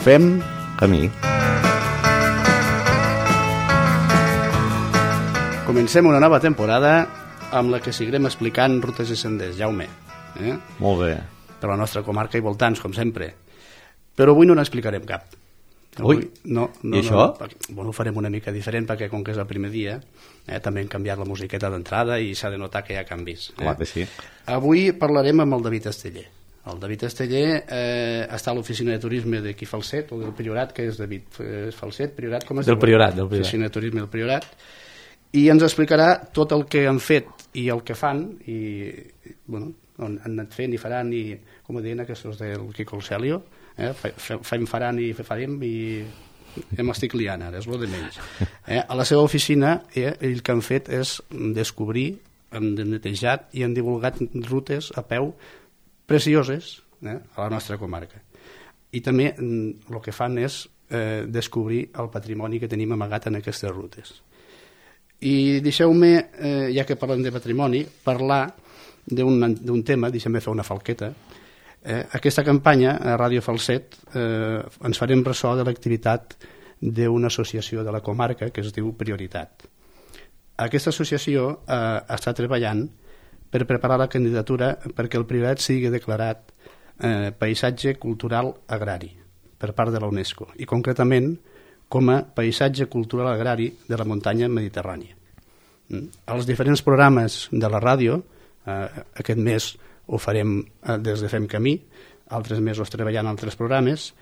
Fem camí. Comencem una nova temporada amb la que seguirem explicant rutes i senders, Jaume. Molt bé. Per la nostra comarca i voltants, com sempre. Però avui no n'explicarem cap. Ui, no, i això? Bueno, ho farem una mica diferent perquè com que és el primer dia també hem canviat la musiqueta d'entrada i s'ha de notar que hi ha canvis. Clar que sí. Avui parlarem amb el David Esteller. El David Esteller està a l'oficina de turisme d'aquí Falset, o del Priorat, que és David Falset, Priorat, com es diu? Del Priorat. L'oficina de turisme del Priorat. I ens explicarà tot el que han fet i el que fan, i bueno, on han anat fent i faran, i com ho deien aquests del Quico Celio, fem faran i farem i m'estic liant ara, és el de menys. A la seva oficina el que han fet és descobrir, han netejat i han divulgat rutes a peu precioses a la nostra comarca. I també el que fan és descobrir el patrimoni que tenim amagat en aquestes rutes. I deixeu-me, ja que parlem de patrimoni, parlar d'un tema, deixeu-me fer una falqueta. Aquesta campanya a Ràdio Falset ens farem ressò de l'activitat d'una associació de la comarca que es diu Prioritat. Aquesta associació està treballant per preparar la candidatura perquè el Priorat sigui declarat paisatge cultural agrari per part de la UNESCO i concretament com a paisatge cultural agrari de la muntanya mediterrània. Els diferents programes de la ràdio, aquest mes ho farem des de Fem Camí, altres mesos treballant en altres programes,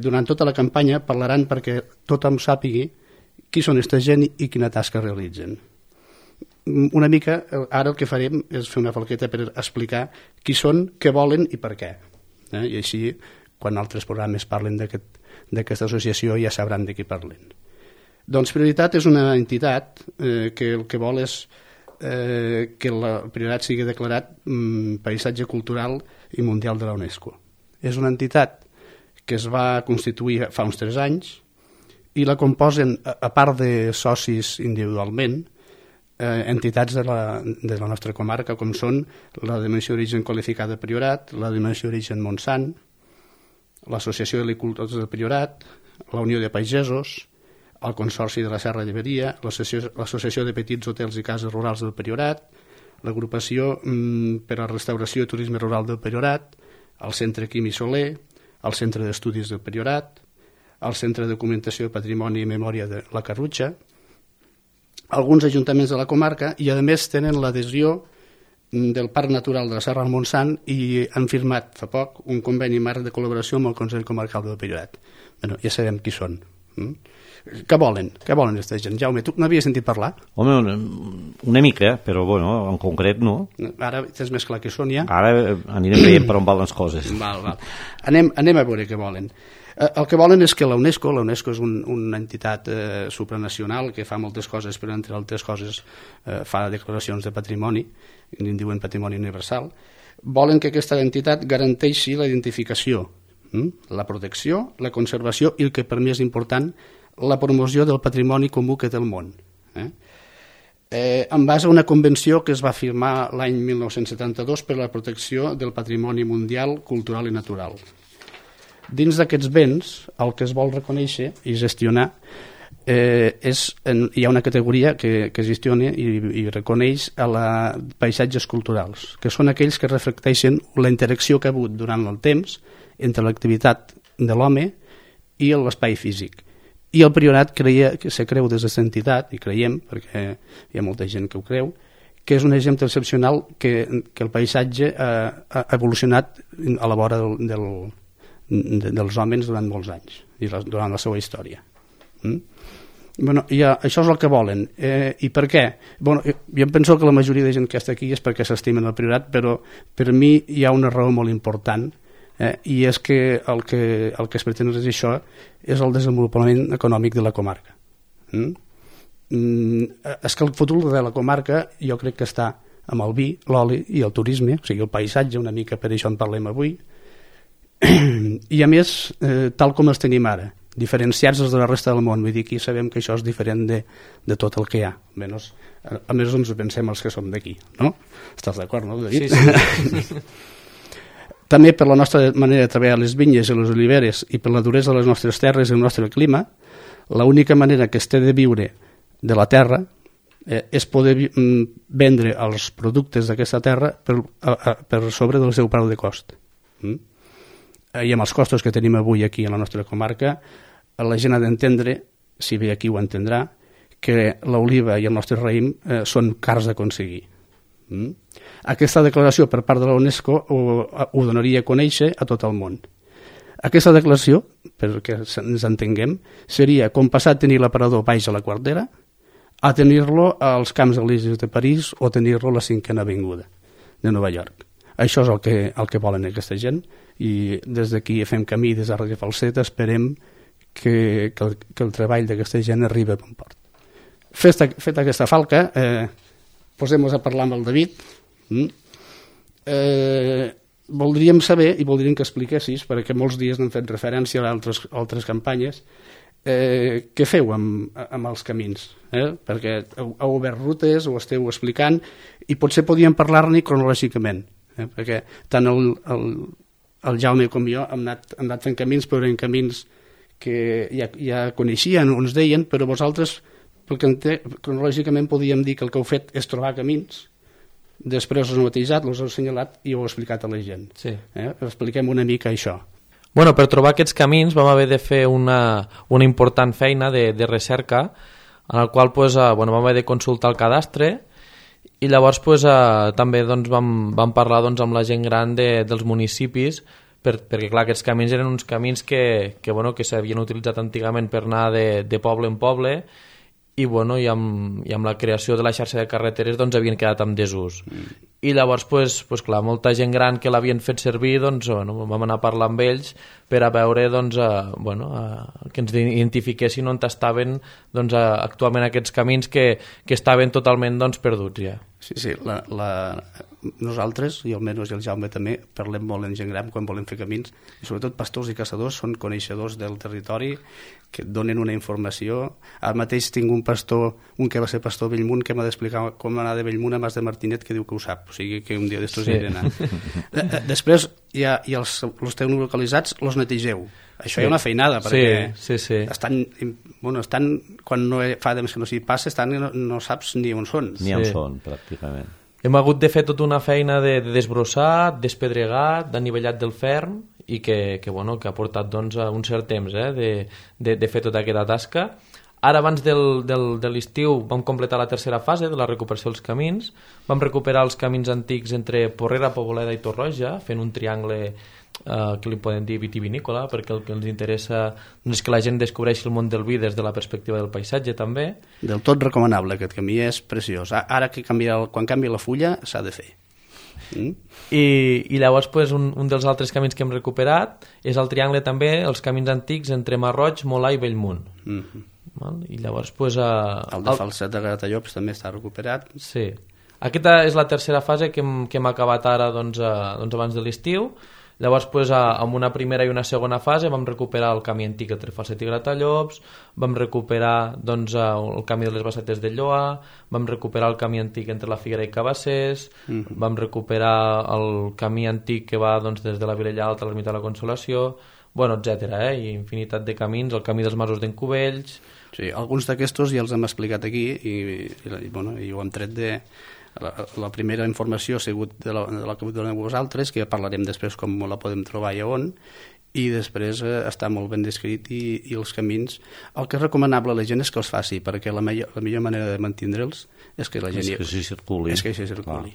durant tota la campanya parlaran perquè tothom sàpigui qui són aquesta gent i quina tasca realitzen. Una mica, ara el que farem és fer una falqueta per explicar qui són, què volen i per què. I així, quan altres programes parlen d'aquesta associació ja sabran de què parlen. Doncs Prioritat és una entitat que el que vol és que el Priorat sigui declarat paisatge cultural i mundial de la UNESCO. És una entitat que es va constituir fa uns 3 anys i la composen, a part de socis individualment, entitats de la nostra comarca, com són la Denominació d'Origen Qualificada Priorat, la Denominació d'Origen Montsant, l'Associació d'Helicultors del Priorat, la Unió de Pagesos, el Consorci de la Serra de Lleberia, l'Associació de Petits Hotels i Cases Rurals del Priorat, l'Agrupació per a la Restauració i Turisme Rural del Priorat, el Centre Quim i Soler, el Centre d'Estudis del Priorat, el Centre de Documentació de Patrimoni i Memòria de la Carrutxa, alguns ajuntaments de la comarca i a més tenen l'adhesió del Parc Natural de la Serra del Montsant i han firmat fa poc un conveni marc de col·laboració amb el Consell Comarcal del Priorat. Bueno, ja sabem qui són. Què volen? Què volen aquesta gent? Jaume, tu n'havies sentit parlar? Home, una mica, però bueno, en concret no. Ara tens més clar què són ja? Ara anirem veient per on van les coses. Val. Anem a veure què volen. El que volen és que la UNESCO és una entitat supranacional que fa moltes coses, però entre altres coses fa declaracions de patrimoni, en diuen patrimoni universal. Volen que aquesta entitat garanteixi la identificació, la protecció, la conservació i el que per mi és important, la promoció del patrimoni comú que té el món. En base a una convenció que es va firmar l'any 1972 per a la protecció del patrimoni mundial, cultural i natural. Dins d'aquests béns, el que es vol reconèixer i gestionar hi ha una categoria que gestiona i reconeix paisatges culturals, que són aquells que reflecteixen la interacció que ha hagut durant el temps entre l'activitat de l'home i l'espai físic. I el Priorat se creu des d'aquesta entitat, i creiem, perquè hi ha molta gent que ho creu, que és un exemple excepcional que el paisatge ha evolucionat a la vora dels homes durant molts anys, i durant la seva història. Bueno, això és el que volen. I per què? Bueno, jo penso que la majoria de gent que està aquí és perquè s'estimen el Priorat, però per mi hi ha una raó molt important, i és que el que es pretén és això, és el desenvolupament econòmic de la comarca. És que el futur de la comarca jo crec que està amb el vi, l'oli i el turisme, o sigui el paisatge, una mica per això en parlem avui, i a més tal com els tenim ara, diferenciats de la resta del món. Vull dir que sabem que això és diferent de tot el que hi ha, almenys ens ho pensem els que som d'aquí, no? Estàs d'acord, no, David? Sí. També per la nostra manera de treballar les vinyes i les oliveres i per la duresa de les nostres terres i el nostre clima, l'única manera que es té de viure de la terra és poder vendre els productes d'aquesta terra per sobre del seu preu de cost. I amb els costos que tenim avui aquí a la nostra comarca, la gent ha d'entendre, si ve aquí ho entendrà, que l'oliva i el nostre raïm són cars d'aconseguir. Aquesta declaració per part de la UNESCO ho donaria a conèixer a tot el món. Aquesta declaració, perquè ens entenguem, seria com passar a tenir l'aparador baix a la Quartera a tenir-lo als Camps Elisis de París o tenir-lo a la 5ª Avinguda de Nova York. Això és el que volen aquesta gent i des d'aquí fem camí, des de Ràdio Falset, esperem que el treball d'aquesta gent arribi a bon port. Feta aquesta falca, posem-nos a parlar amb el David. Voldríem saber, i voldríem que expliquessis, perquè molts dies n'hem fet referència a altres campanyes, què feu amb els camins? Perquè heu obert rutes, ho esteu explicant, i potser podíem parlar-ne cronològicament, perquè tant el Jaume com jo hem anat fent camins, però eren camins que ja coneixien, ens deien, però vosaltres, cronològicament podíem dir que el que heu fet és trobar camins, després us heu batejat, us heu assenyalat i heu explicat a la gent. Sí. Expliquem una mica això. Bueno, per trobar aquests camins vam haver de fer una important feina de recerca, en el qual vam haver de consultar el cadastre i llavors també vam parlar amb la gent gran dels municipis perquè clar, aquests camins eren uns camins que s'havien utilitzat antigament per anar de poble en poble i amb la creació de la xarxa de carreteres havien quedat en desús. I llavors, clar, molta gent gran que l'havien fet servir, vam anar a parlar amb ells per a veure que ens identifiquessin on estaven actualment aquests camins que estaven totalment perduts ja. Sí, nosaltres, i almenys el Jaume també, parlem molt en gent gran quan volem fer camins, i sobretot pastors i caçadors són coneixedors del territori, que et donen una informació. Ara mateix tinc un pastor, un que va ser pastor a Bellmunt, que m'ha d'explicar com anar de Bellmunt a Mas de Martinet, que diu que ho sap, o sigui que un dia d'estos hi he d'anar. Després, els teu localitzats, els netegeu. Això hi ha una feinada, perquè estan quan fa temps que no s'hi passa, no saps ni on són. Ni on són, pràcticament. Hem hagut de fer tota una feina de desbrossat, despedregat, d'anivellat del ferm i que ha portat un cert temps de fer tota aquesta tasca. Ara, abans de l'estiu, vam completar la tercera fase de la recuperació dels camins. Vam recuperar els camins antics entre Porrera, Poboleda i Torroja, fent un triangle que li podem dir vitivinícola, perquè el que ens interessa és que la gent descobreixi el món del vi des de la perspectiva del paisatge també. Del tot recomanable, aquest camí és preciós. Ara que quan canvia la fulla s'ha de fer. I llavors un dels altres camins que hem recuperat és el triangle també, els camins antics entre Marroig, Molà i Bellmunt. I llavors el de Falset de Gratallops també està recuperat. Sí, aquesta és la tercera fase que hem acabat ara abans de l'estiu. Llavors, amb una primera i una segona fase vam recuperar el camí antic entre Falset i Gratallops, vam recuperar el camí de les Bassetes de Lloa, vam recuperar el camí antic entre la Figuera i Cabassers, vam recuperar el camí antic que va des de la Vilella Alta a l'Ermita de la Consolació, etc. I infinitat de camins, el camí dels Masos d'en Cubells. Sí, alguns d'aquestos ja els hem explicat aquí i ho hem tret de... La primera informació ha sigut de la que doneu vosaltres, que ja parlarem després com la podem trobar i on, i després està molt ben descrit i els camins. El que és recomanable a la gent és que els faci, perquè la millor manera de mantindre'ls és que la gent... És que s'hi circuli.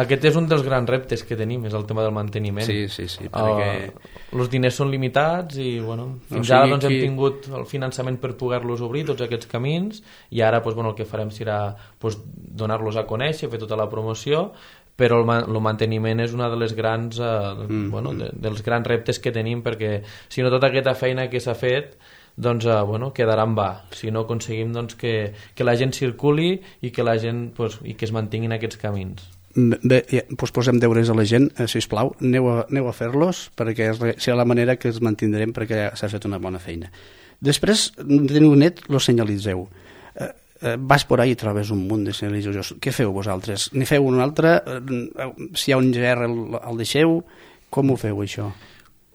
Aquest és un dels grans reptes que tenim, és el tema del manteniment. Sí, perquè... Els diners són limitats i fins ara hem tingut el finançament per poder-los obrir, tots aquests camins, i ara el que farem serà donar-los a conèixer, fer tota la promoció, però el manteniment és una de les grans dels grans reptes que tenim, perquè si no tota aquesta feina que s'ha fet quedarà en va, si no aconseguim que la gent circuli i que la gent i que es mantinguin aquests camins. Bé, posem deures a la gent, sisplau, aneu a fer-los, perquè serà la manera que els mantindrem, perquè s'ha fet una bona feina. Després, teniu net, los senyalitzeu. Vas por ahí i trobes un munt de senyalitzadors. Què feu vosaltres? N'hi feu un altre? Si hi ha un GR el deixeu? Com ho feu, això?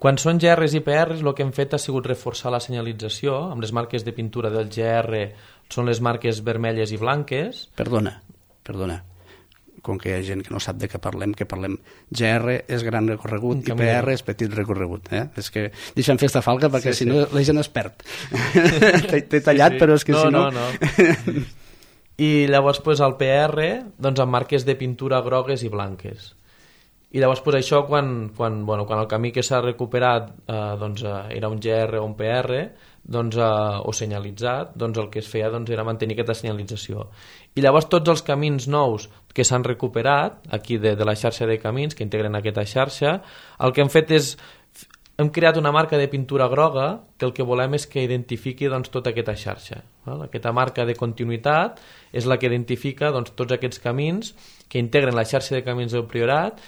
Quan són GRs i PRs, el que hem fet ha sigut reforçar la senyalització amb les marques de pintura del GR, són les marques vermelles i blanques. Perdona, com que hi ha gent que no sap de què parlem, GR és gran recorregut i PR és petit recorregut. És que deixa'm fer esta falca perquè si no la gent es perd. T'he tallat, però és que si no... No. I llavors el PR doncs, amb marques de pintura grogues i blanques. I llavors això quan el camí que s'ha recuperat era un GR o un PR o senyalitzat, el que es feia era mantenir aquesta senyalització. I llavors tots els camins nous que s'han recuperat aquí de la xarxa de camins que integren aquesta xarxa, el que hem fet és hem creat una marca de pintura groga que el que volem és que identifiqui tota aquesta xarxa. Aquesta marca de continuïtat és la que identifica tots aquests camins que integren la xarxa de camins del Priorat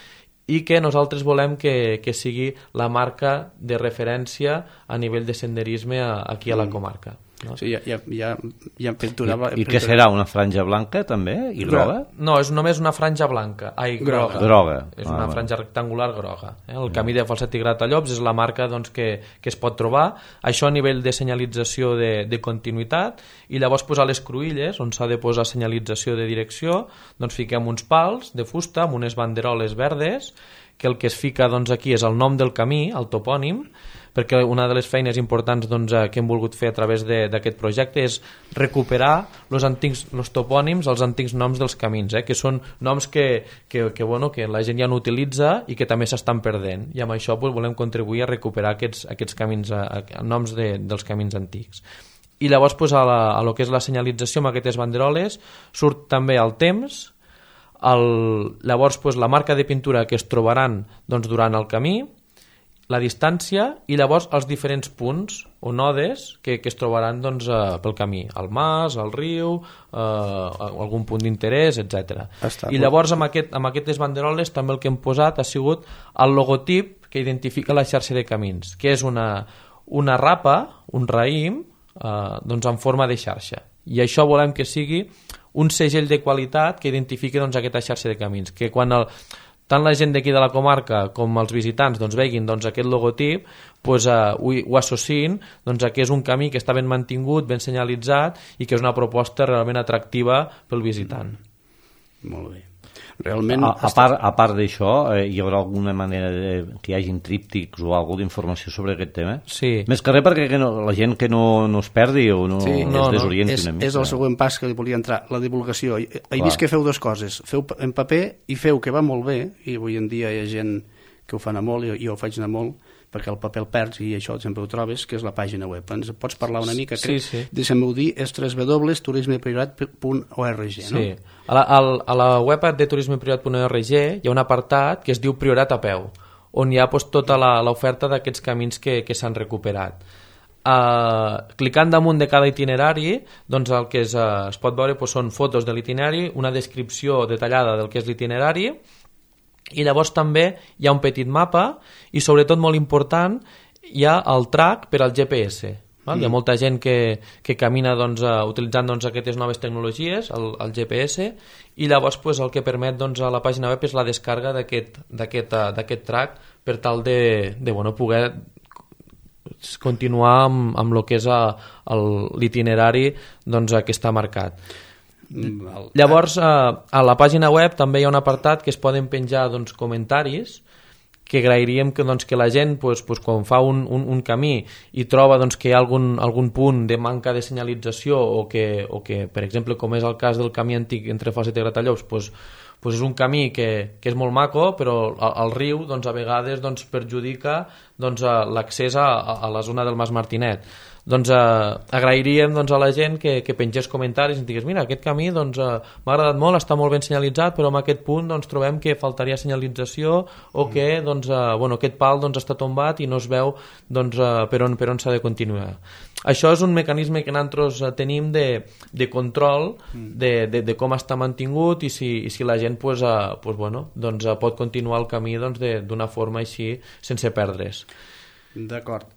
i que nosaltres volem que sigui la marca de referència a nivell de senderisme aquí a la comarca. No? Sí, hi ha pintura... I què serà, una franja blanca també? I groga? No, és només una franja blanca. Groga. És una franja rectangular groga. El camí de Falset i Gratallops és la marca que es pot trobar. Això a nivell de senyalització de continuïtat. I llavors a les cruïlles, on s'ha de posar senyalització de direcció, fiquem uns pals de fusta amb unes banderoles verdes que el que es fica aquí és el nom del camí, el topònim, perquè una de les feines importants que hem volgut fer a través d'aquest projecte és recuperar els topònims, els antics noms dels camins, que són noms que la gent ja no utilitza i que també s'estan perdent, i amb això volem contribuir a recuperar aquests camins, noms dels camins antics. I llavors a lo que és la senyalització amb aquestes banderoles surt també el temps, llavors la marca de pintura que es trobaran durant el camí, la distància i llavors els diferents punts o nodes que es trobaran pel camí, el mas, el riu, algun punt d'interès, etc. I llavors amb aquestes banderoles també el que hem posat ha sigut el logotip que identifica la xarxa de camins, que és una rapa, un raïm, en forma de xarxa. I això volem que sigui un segell de qualitat que identifiqui aquesta xarxa de camins, que quan tant la gent d'aquí de la comarca com els visitants veguin aquest logotip, ho associïn que és un camí que està ben mantingut, ben senyalitzat i que és una proposta realment atractiva pel visitant. Molt bé. Realment... A part d'això, hi haurà alguna manera que hi hagin tríptics o alguna d'informació sobre aquest tema? Sí. Més que res perquè la gent que no es perdi o es desorienti una mica. És el següent pas que volia entrar, la divulgació. He vist que feu dues coses. Feu en paper i feu que va molt bé, i avui en dia hi ha gent que ho fan a molt i jo ho faig anar molt, perquè el paper el perds i això sempre ho trobes, que és la pàgina web. Ens pots parlar una mica? Sí. Deixa'm-ho dir, és www.turismepriorat.org, no? Sí. A la web de turismepriorat.org hi ha un apartat que es diu Priorat a peu, on hi ha tota l'oferta d'aquests camins que s'han recuperat. Clicant damunt de cada itinerari, el que es pot veure són fotos de l'itinerari, una descripció detallada del que és l'itinerari, i llavors també hi ha un petit mapa i sobretot molt important hi ha el track per al GPS. Hi ha molta gent que camina utilitzant aquestes noves tecnologies, el GPS, i llavors el que permet a la pàgina web és la descarga d'aquest track per tal de poder continuar amb el que és l'itinerari que està marcat. Llavors a la pàgina web també hi ha un apartat que es poden penjar comentaris que agrairíem que la gent quan fa un camí i troba que hi ha algun punt de manca de senyalització o que per exemple, com és el cas del camí antic entre Falset i Gratallops, és un camí que és molt maco, però el riu a vegades perjudica l'accés a la zona del Mas Martinet. Agrairíem a la gent que pengés comentaris i ens digués, mira, aquest camí m'ha agradat molt, està molt ben senyalitzat, però en aquest punt trobem que faltaria senyalització o que aquest pal està tombat i no es veu per on s'ha de continuar. Això és un mecanisme que nosaltres tenim de control de com està mantingut i si la gent pot continuar el camí d'una forma així sense perdre's. D'acord.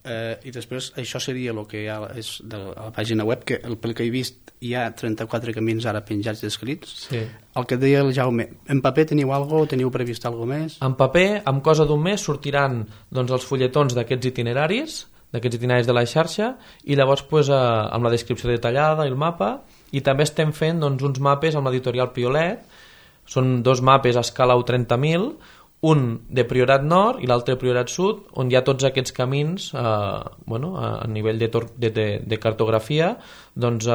I després això seria el que hi ha és de la pàgina web, que pel que he vist hi ha 34 camins ara penjats descrits. Sí. El que deia el Jaume, en paper teniu alguna cosa? Teniu previst alguna més? En paper, amb cosa d'un mes, sortiran doncs, els fulletons d'aquests itineraris de la xarxa, i llavors pues, amb la descripció detallada i el mapa, i també estem fent doncs, uns mapes amb l'editorial Piolet. Són 2 mapes a escala 30.000, un de Priorat Nord i l'altre de Priorat Sud, on hi ha tots aquests camins a nivell de cartografia doncs,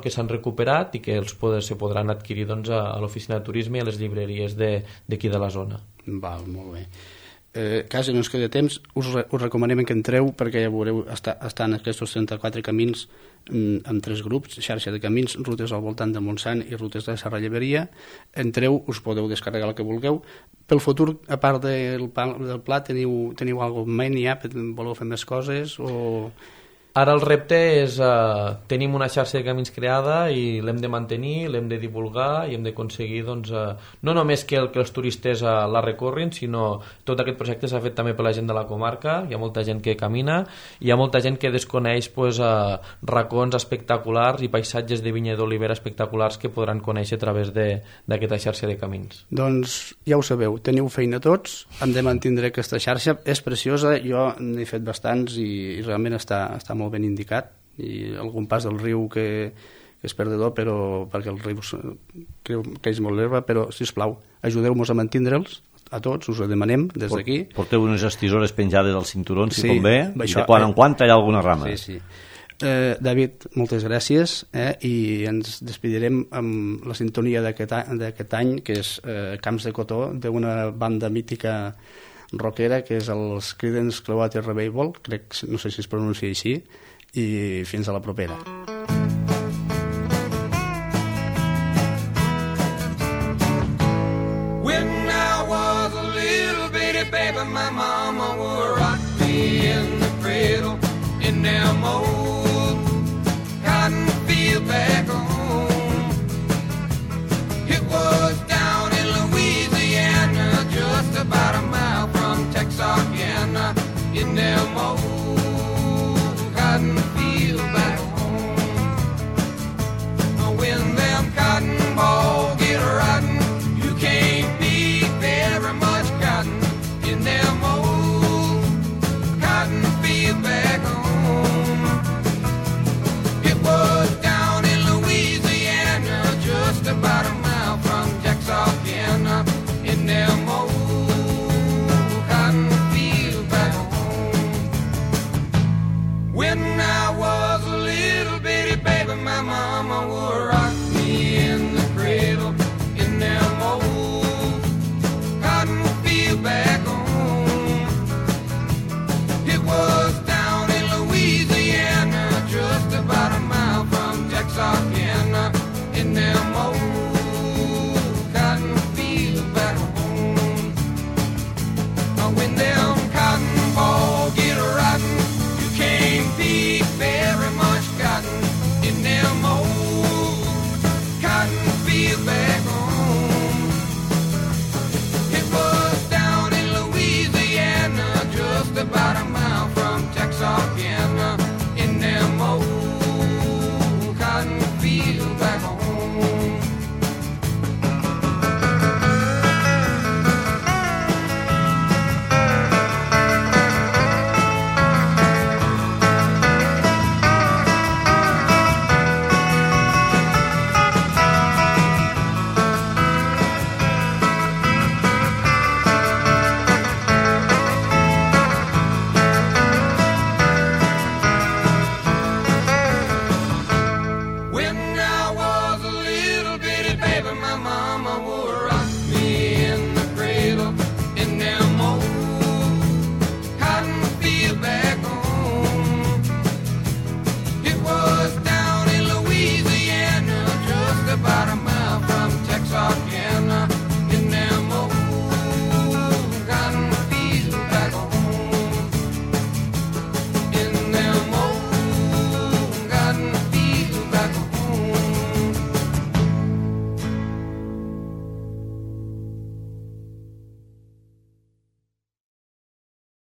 que s'han recuperat i que se podran adquirir doncs, a l'oficina de turisme i a les llibreries d'aquí de la zona. Val, molt bé. Quasi no ens queda temps, us recomanem que entreu, perquè ja veureu, estan aquests 34 camins en 3 grups, xarxa de camins, rutes al voltant de Montsant i rutes de Serra Lleberia. Entreu, us podeu descarregar el que vulgueu. Pel futur, a part del pla, teniu alguna cosa en ment ja? Voleu fer més coses? Ara el repte és tenim una xarxa de camins creada i l'hem de mantenir, l'hem de divulgar i hem d'aconseguir doncs, no només que els turistes la recorrin, sinó tot aquest projecte s'ha fet també per la gent de la comarca. Hi ha molta gent que camina, hi ha molta gent que desconeix pues, racons espectaculars i paisatges de vinya d'olivera espectaculars que podran conèixer a través d'aquesta xarxa de camins. Doncs ja ho sabeu, teniu feina tots, hem de mantindre aquesta xarxa, és preciosa, jo n'he fet bastants i realment està molt ben indicat, i algun pas del riu que és perdedor, però perquè el riu creix molt l'herba, però sisplau, ajudeu-nos a mantindre'ls a tots, us ho demanem des d'aquí. Porteu unes estisores penjades als cinturons, si sí, convé, i de quan en quan tallar alguna rama. Sí. David, moltes gràcies, i ens despedirem amb la sintonia d'aquest any, que és Camps de Cotó, d'una banda mítica rockera, que és els Creedence Clearwater Revival, no sé si es pronuncia així, i fins a la propera. When I was a little bitty baby, my mama would rock me in the cradle in them old